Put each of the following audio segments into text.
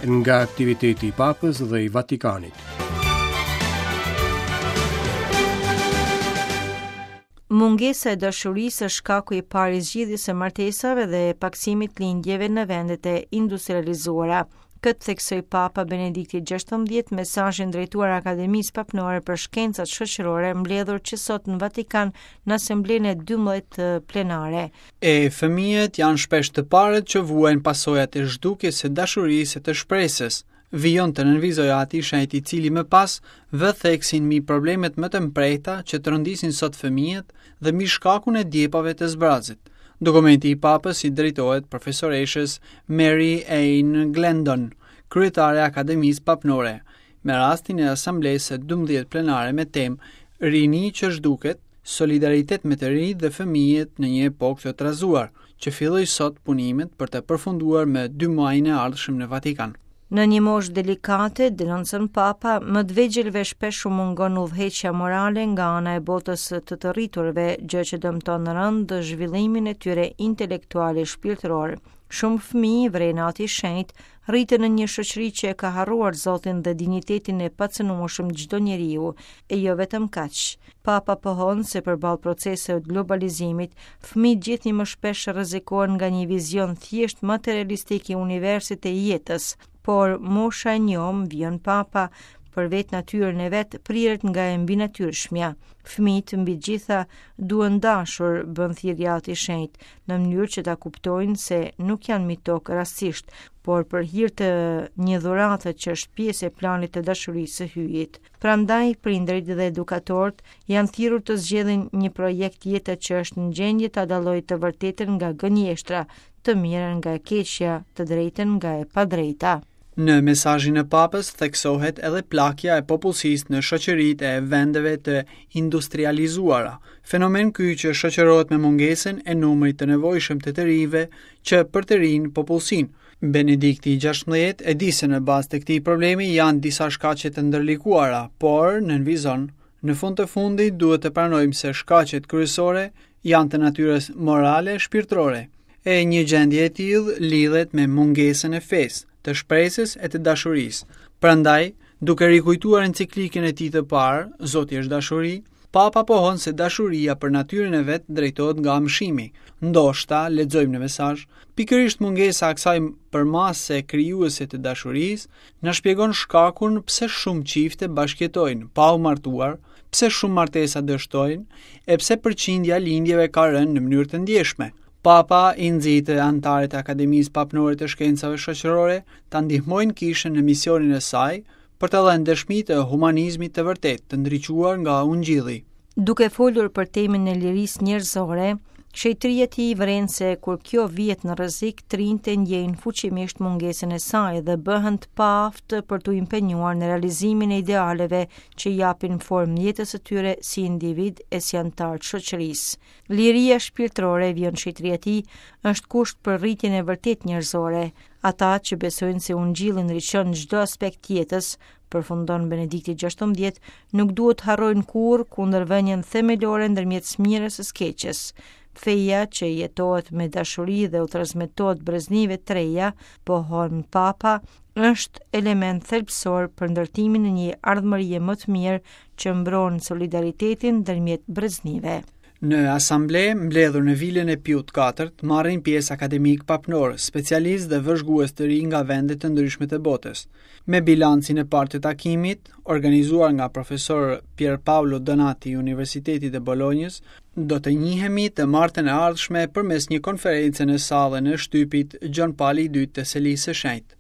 Nga aktiviteti i Papës dhe i Vatikanit. Mungesa e dashurisë është shkaku i parë i zgjidhjes së martesave dhe pakësimit të lindjeve në vendet e industrializuara. Këtë theksoi Papa Benedikti XVI në mesazhin drejtuar Akademisë Papnore për Shkencat Shoqërore mbledhur që sot në Vatikan në Asamblenë e 12 plenare. E fëmijët janë shpesh të parët që vuajnë pasojat e zhdukjes së dashurisë e të shpresës, vijon të nënvizojë Ati i Shenjtë i cili më pas vë theksin mbi problemet më të mprehta që trondisin sot fëmijët dhe mbi shkakun e djepave të zbrazët. Dokumenti i Papës i drejtohet profesoreshës Mary Ann Glendon, kryetare e Akademisë Papnore, me rastin e Asamblesë së 12 plenare me temë Rini që zhduket, solidaritet me të rinjtë dhe fëmijët në një epokë të trazuar, që filloi sot punimet për të përfunduar më 2 majin e ardhshëm në Vatikan. Në një moshë delikate, denoncon Papa, më të vegjëlve shpesh u mungon udhëheqja morale nga ana e botës së të të rriturve, gjë që dëmton rëndë zhvillimin e tyre intelektual e shpirtëror. Shumë fëmijë, vëren Ati i Shenjtë, rriten në një shoqëri që e ka harruar Zotin dhe dinjitetin e pacënueshëm të çdo njeriu, e jo vetëm kaq. Papa pohon se përballë proceseve të globalizimit, fëmijët gjithnjë më shpesh rrezikohen nga një vizion thjesht materialistik i universit e jetës. Por mosha e njomë, vijon Papa, për vetë natyrën e vet priret nga e mbinatyrshmja. Fëmijët mbi të gjitha duhen dashur, bën thirrje Ati i Shenjtë, në mënyrë që ta kuptojnë se nuk janë mbi tokë rastësisht, por për hir të një dhurate që është pjesë e planit të dashurisë së Hyjit. Prandaj, prindërit dhe edukatorët janë thirrur të zgjedhin një projekt jete që është në gjendje ta dallojë të vërtetën nga gënjeshtra, të mirën nga e keqja, të drejtën nga e padrejta. Në mesazhin e Papës theksohet edhe plakja e popullsisë në shoqëritë e vendeve të industrializuara, fenomen ky që shoqërohet me mungesën e numrit të nevojshëm të të rinjve që përtërijnë popullsinë. Benedikti i 16 e di se në bazë të këtij problemi janë disa shkaqe të ndërlikuara, por nënvizon, në fund të fundit duhet të pranojmë se shkaqet kryesore janë të natyrës morale e shpirtërore. E një gjendje e tillë lidhet me mungesën e fesë, të shpresës e të dashurisë. Prandaj, duke rikujtuar enciklikën e tij të parë, Zoti është dashuri, Papa pohon se dashuria për natyrën e vet drejtohet nga amshimi. Ndoshta, lexojmë në mesazh, pikërisht mungesa e kësaj përmase krijuese të dashurisë na shpjegon shkakun pse shumë çifte bashkëjetojnë pa u martuar, pse shumë martesa dështojnë e pse përqindja e lindjeve ka rënë në mënyrë të ndjeshme. Papa i nxit anëtarët e Akademisë Papnore të Shkencave Shoqërore ta ndihmojnë kishën në misionin e saj për të dhënë dëshmi të humanizmit të vërtetë, të ndriçuar nga Ungjilli. Duke folur për temën e lirisë njerëzore, Shenjtëria e Tij vëren se kur kjo vihet në rrezik, të rinjtë e ndjejnë fuqimisht mungesën e saj dhe bëhen të paaftë për t'u impenjuar në realizimin e idealeve që i japin formë jetës së tyre si individë e si anëtarë të shoqërisë. Liria shpirtërore, vijon Shenjtëria e Tij, është kusht për rritjen e vërtetë njerëzore. Ata që besojnë se Ungjilli ndriçon çdo aspekt të jetës, përfundon Benedikti XVI, nuk duhet të harrojnë kurrë kundërvënien themelore ndërmjet së mirës e së keqes. Feja që jetohet me dashuri dhe u transmetohet breznive të reja, pohon Papa, është element thelbësor për ndërtimin e një ardhmërie më të mirë që mbron solidaritetin ndërmjet breznive. Në asamble, mbledhur në vilën e Piut IV, marrin pjesë akademikë papnorë, specialistë dhe vëzhgues të rinj nga vende të ndryshme të botës. Me bilancin e parë të takimit, organizuar nga profesor Pier Paolo Donati i Universitetit të Bolonjës, do të njihemi të martën e ardhshme përmes një konference në sallën e shtypit Gjon Pali i II të Selisë së Shenjtë.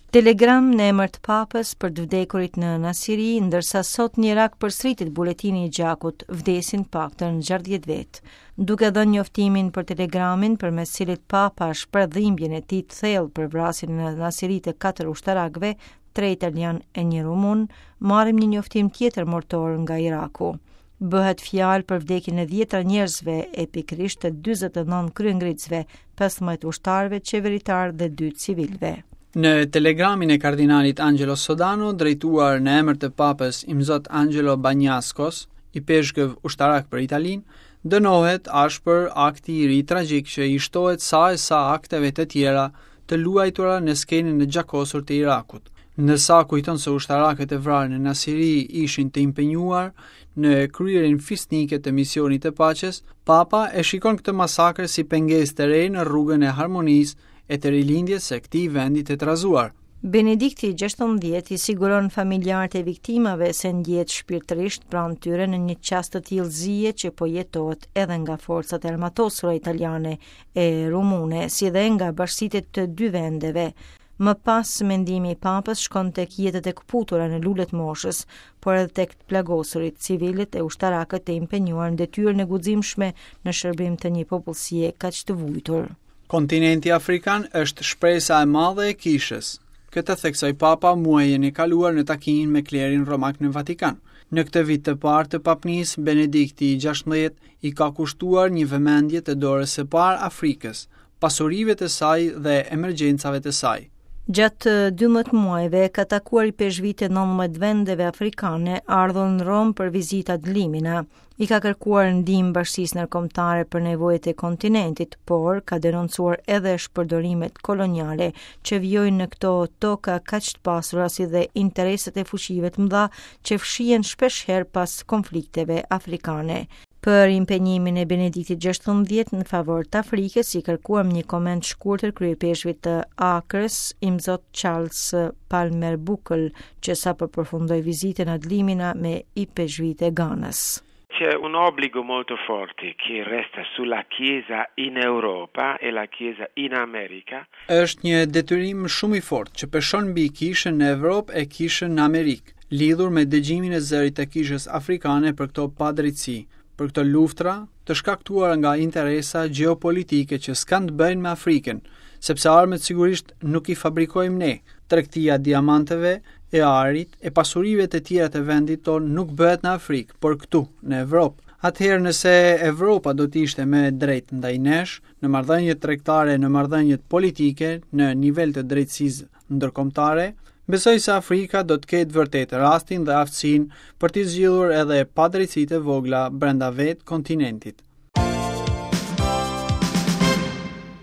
Telegram në emër të Papës për të vdekurit në Nasiri, ndërsa sot në Irak përsëritet buletini i gjakut, vdesin të paktën 60 vetë. Duke dhënë njoftimin për telegramin përmes cilit Papa shpreh dhimbjen e tij të thellë për vrasjen në Nasiri të katër ushtarakëve, tre italianë e një rumun, marrim një njoftim tjetër mortor nga Iraku. Bëhet fjalë për vdekjen e dhjetra njerëzve e pikërisht të 49 kryengritësve, 15 ushtarëve qeveritarë dhe 2 civilëve. Në telegramin e kardinalit Angelo Sodano, drejtuar në emër të papës Imzot Angelo Bagnascos, Ipeshkëv ushtarak për Italinë, dënohet ashpër akti i ri tragjik që i shtohet sa e sa akteve të tjera të luajtura në skenën e gjakosur të Irakut. Ndërsa kujton se ushtarakët e vrarë në Nasiri ishin të impenjuar në kryerjen fisnike të misionit të paqes, Papa e shikon këtë masakër si pengesë të re në rrugën e harmonisë e të rilindjes së këtij vendi të trazuar. Benedikti XVI i siguron familjarët e viktimave se ndjehet shpirtërisht pranë tyre në një çast të tillë zie që po jetohet edhe nga forcat e armatosura italiane e rumune, si dhe nga bashkësitë e të dy vendeve. Më pas, mendimi i Papës shkon tek jetët e këputura në lule të moshës, por edhe tek të plagosurit, civilët e ushtarakët e impenjuar në detyrën e guximshme në shërbim të një popullsie kaq të vujtur. Kontinenti afrikan është shpresa e madhe e kishës. Këtë theksoi Papa muajin e kaluar në takimin me klerin romak në Vatikan. Në këtë vit të parë të papnisë, Benedikti i 16 i ka kushtuar një vëmendje të dorës së parë Afrikës, pasurive të saj dhe emergjencave të saj. Gjatë 12 muajve ka takuar ipeshkvijtë e 19 vendeve afrikane, ardhur në Romë për vizita ad limina. I ka kërkuar ndihmë bashkësisë ndërkombëtare për nevojat e kontinentit, por ka denoncuar edhe shpërdorimet koloniale që vijojnë në këto toka kaq të pasura si dhe interesat e fuqive të mëdha që fshihen shpeshherë pas konflikteve afrikane. Për impenjimin e Benediktit XVI në favor të Afrikës, i kërkuam një koment shkurtër kryeipeshkvit të Akrës, Imzot Charles Palmer Buckle, që sapo përfundoi vizitën ad limina me ipeshkvijtë e Ganës. C'è un obbligo molto forte che resta sulla Chiesa in Europa e la Chiesa in America. Është një detyrim shumë i fortë që peshon mbi Kishën në Evropë e Kishën në Amerikë, lidhur me dëgjimin e zërit të Kishës afrikane për këto padrejtësi, për këto luftra të shkaktuara nga interesa gjeopolitike që s'kanë të bëjnë me Afrikën, sepse armët sigurisht nuk i fabrikojmë ne. Tregtia e diamanteve, e arit, e pasurive të tjera të vendit tonë nuk bëhet në Afrikë, por këtu, në Evropë. Atëherë nëse Evropa do të ishte më e drejtë ndaj nesh, në marrëdhëniet tregtare, në marrëdhëniet politike, në nivel të drejtësisë ndërkombëtare, besoj se Afrika do të ketë vërtet rastin dhe aftësinë për t'i zgjidhur edhe padrejtësitë e vogla brenda vetë kontinentit.